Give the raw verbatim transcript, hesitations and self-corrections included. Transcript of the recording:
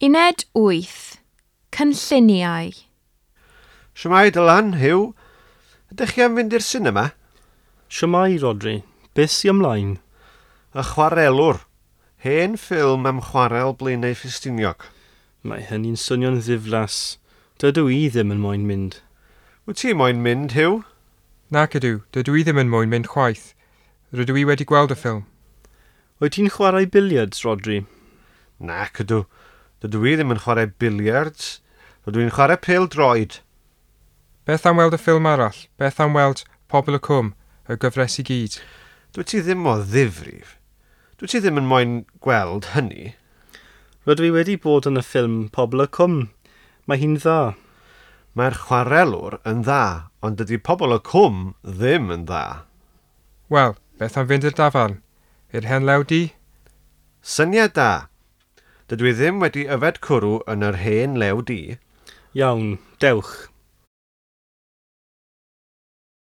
Uned wyth. Cynlluniau. Shwmae Dylan, Huw? Ydych chi am fynd i'r sinema? Shwmae, Rodri. Beth sy ymlaen? Y Chwarelwr. Hen ffilm am chwarel Blaenau Ffestiniog. Mae hynny'n swnio'n ddiflas. Dydw i ddim yn moyn mynd. Wyt ti moyn mynd, Huw? Nac ydw, dydw i ddim yn moyn mynd chwaith. Rydw i wedi gweld y ffilm. Wyt ti'n chwarae billiards, Rodri? Nac ydw. Dydw i ddim yn chwarae billiards. Rydw i'n chwarae pêl-droed. Beth am weld y ffilm arall? Beth am weld Pobol y Cwm, y gyfres i gyd? Dwyt ti ddim o ddifrif. Dwyt ti ddim yn moyn gweld hynny. Rydw i wedi bod yn y ffilm Pobol y Cwm. Mae hi'n dda. Mae'r Chwarelwr yn dda, ond dydy Pobol y Cwm ddim yn dda. Wel, beth am fynd i'r dafarn? I'r Hen Lew Du? Syniad da. Dydw i ddim wedi yfed cwrw yn yr Hen Lew Du. Iawn, dewch.